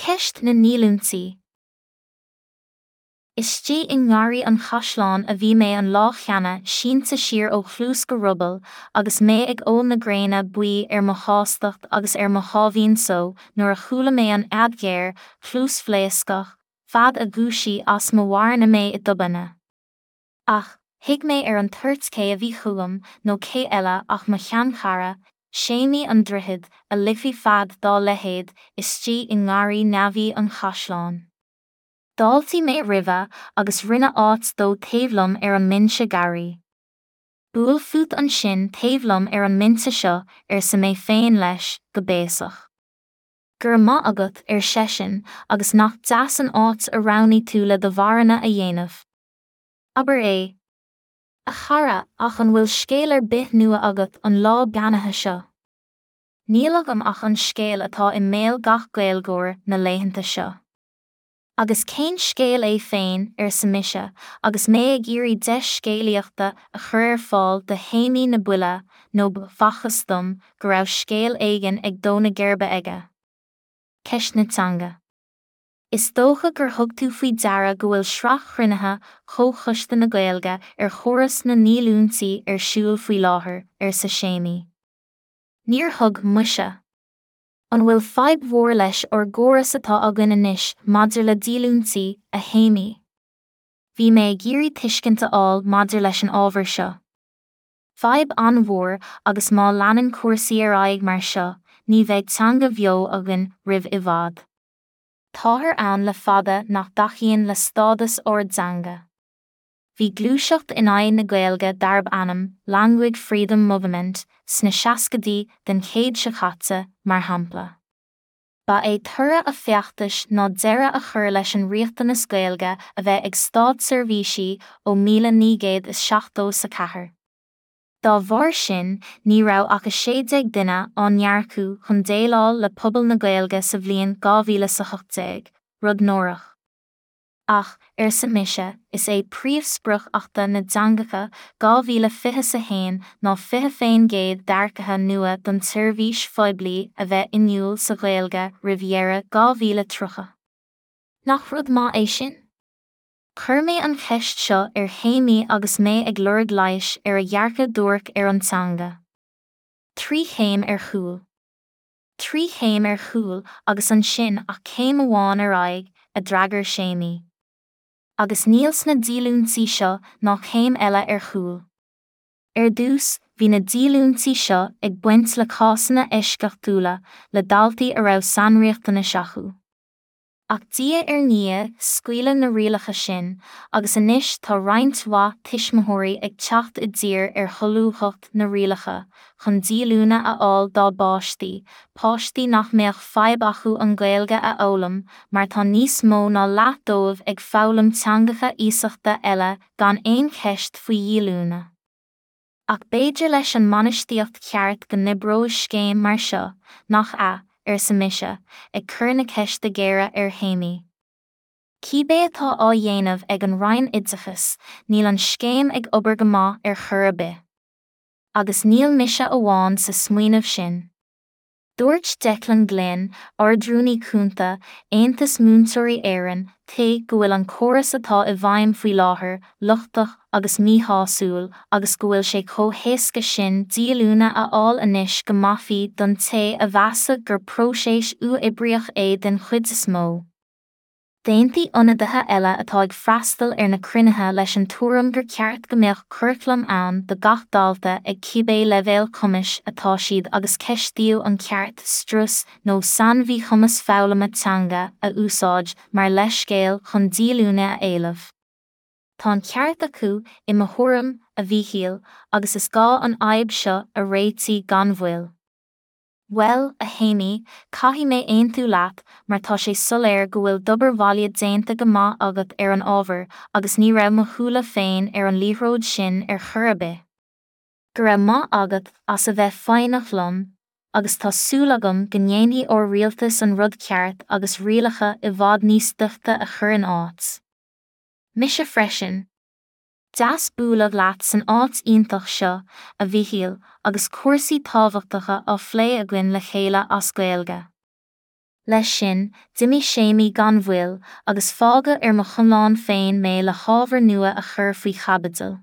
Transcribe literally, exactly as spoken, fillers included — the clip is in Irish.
Ceist na ndíolúintí. Istigh i nGarraí an Chaisleáin a bhí mé an lá cheana sínte siar ó chluas go ruball agus mé ag ól na gréine buí ar mo shástacht agus ar mo sháimhín só nuair a chuala mé an fhead ghéar, chluasphléascach, fead a dhúisigh as mo mharana mé i dtobainne. Ach, thuig mé ar an toirt cé a bhí chugam nó cé eile ach mo sheanchara, Séimí an Droichid, a ligfeadh fead dá leithéid istigh i ngarraí neamhaí an chaisleáin. D'fháiltigh mé roimhe agus rinne áit dó taobh liom ar an mbinse garraí. Buail fút ansin taobh liom ar an mbinse seo, arsa mé féin leis, go béasach. Go raibh maith agat, ar seisean, agus nach deas an áit a roghnaigh tú le do mharana a dhéanamh. Abair é, a chara, ach an bhfuil scéal ar bith nua agat an lá beannaithe seo? Níl agam ach an scéal atá i mbéal gach Gaeilgeoir na laethanta seo. Agus cén scéal é féin, arsa mise, agus mé ag iarraidh deis scéalaíochta a chur ar fáil do Shéimí na Buile nó b'fhacthas dom go raibh scéal éigin ag dó na geirbe aige. Ceist na teanga. Is dócha gur thug tú faoi deara go bhfuil sraith chruinnithe Chomhchoiste na Gaeilge ar chóras na ndíolúintí ar siúl faoi láthair, arsa Séimí. Níor thug muise. An bhfuil fadhb mhór leis ár gcóras atá againn anois maidir le díolúintí, a Shéimí? Bhí mé ag iarraidh tuiscint a fháil maidir leis an ábhar seo. Fadhb an-mhór agus má leanann cúrsaí ar aghaidh mar seo, ní bheidh teanga bheo againn roimh i bhfad. Táthar ann le fada nach dtacaíonn le stádas ár dteanga. Bhí gluaiseacht in aghaidh na Gaeilge darb ainm Language Freedom Movement sna seascaidí den chéad seo caite, mar shampla. Ba é toradh a feachtais ná deireadh a chur leis an riachtanas Gaeilge a bheith ag státseirbhísí ó míle naoi gcéad is seachtó a ceathair. Dá bharr sin, ní raibh ach a sé déag duine á n-earcú chun déileáil le pobal na Gaeilge sa bhliain dhá mhíle is a hocht déag, rud náireach. Ach, arsa mise, is é príomhsprioc Achta na dTeangacha dhá mhíle fiche a haon ná fiche faoin gcéad d'earcaithe nua don tseirbhís phoiblí a bheith inniúil sa Ghaeilge roimh dheireadh dhá mhíle tríocha. Nach rud maith é sin? Chuir mé an cheist seo ar Shéimí agus mé ag lorg leighis ar a dhearcadh duairc ar an teanga. Trí chéim ar chúl. Trí chéim ar chúl agus ansin ach céim amháin ar aghaidh, a d'fhreagair Séimí. Agus níl sna díolúintí seo ná céim eile ar chúl. Ar dtús, bhí na díolúintí seo ag baint le cásanna eisceachtúla le daltaí a raibh sainriachtanais acu. Ach diaidh ar ndiaidh scaoileadh na rialacha sin, agus anois tá roinnt mhaith tuismitheoirí ag teacht i dtír ar sholúbthacht na rialacha chun díolúine a fháil dá bpáistí, páistí nach mbeadh fadhb acu an Ghaeilge a fhoghlaim mar tá níos mó ná leath dóibh ag foghlaim teangacha iasachta eile gan aon cheist faoi dhíolúine. Ach b'fhéidir leis an mbainistíocht cheart go n-oibreoidh scéim mar seo, nach ea, arsa mise, ag cur na ceiste géire ar Shéimí. Cibé atá á dhéanamh ag an Roinn Oideachais, níl an scéim ag obair go maith ar chor ar bith. Agus níl mise amháin sa smaoineamh sin. Dúirt Declan Glynn, Ardrúnaí Cúnta, Aontas Múinteoirí Éireann, T go bhfuil an córas atá i bhfeidhm faoi láthair lochtach agus míshásúil agus go bhfuil sé chomh héasca sin díolúine a fháil anois go maithfí don té a mheasfadh gur próiseas uathoibríoch é den chuid is mó. D'aontaigh ionadaithe eile atá ag freastal ar na cruinnithe leis an tuairim gur ceart go mbeadh curaclam ann do gach dalta ag cibé leibhéal cumais atá siad agus ceistíodh an ceart strus nó sainmhíchumas foghlama teanga a úsáid mar leithscéal chun díolúine a éileamh. Tá an ceart acu, i mo thuairim, a Mhíchíl, agus is gá an fhadhb seo a réitigh gan mhoill. Bhuel, a Shéimí, caithfidh mé aontú leat mar tá sé soiléir go bhfuil d'obair bhaile déanta go maith agat ar an ábhar agus ní raibh mo shúile féin ar an liathróid sin ar chor ar bith. Go raibh maith agat as a bheith foighneach liom, agus tá súil agam go ndéanfaidh ár rialtas an rud ceart agus rialacha i bhfad níos doichte a chur in áit. Mise freisin. Deas bualadh leat san áit iontach seo, a Mhíchíl, agus cúrsaí tábhachtacha á phlé againn le chéile as Gaeilge. Leis sin, d'imigh Séimí gan mhoill, agus fágadh ar mo chonlán féin mé le hábhar nua a chur faoi chaibidil.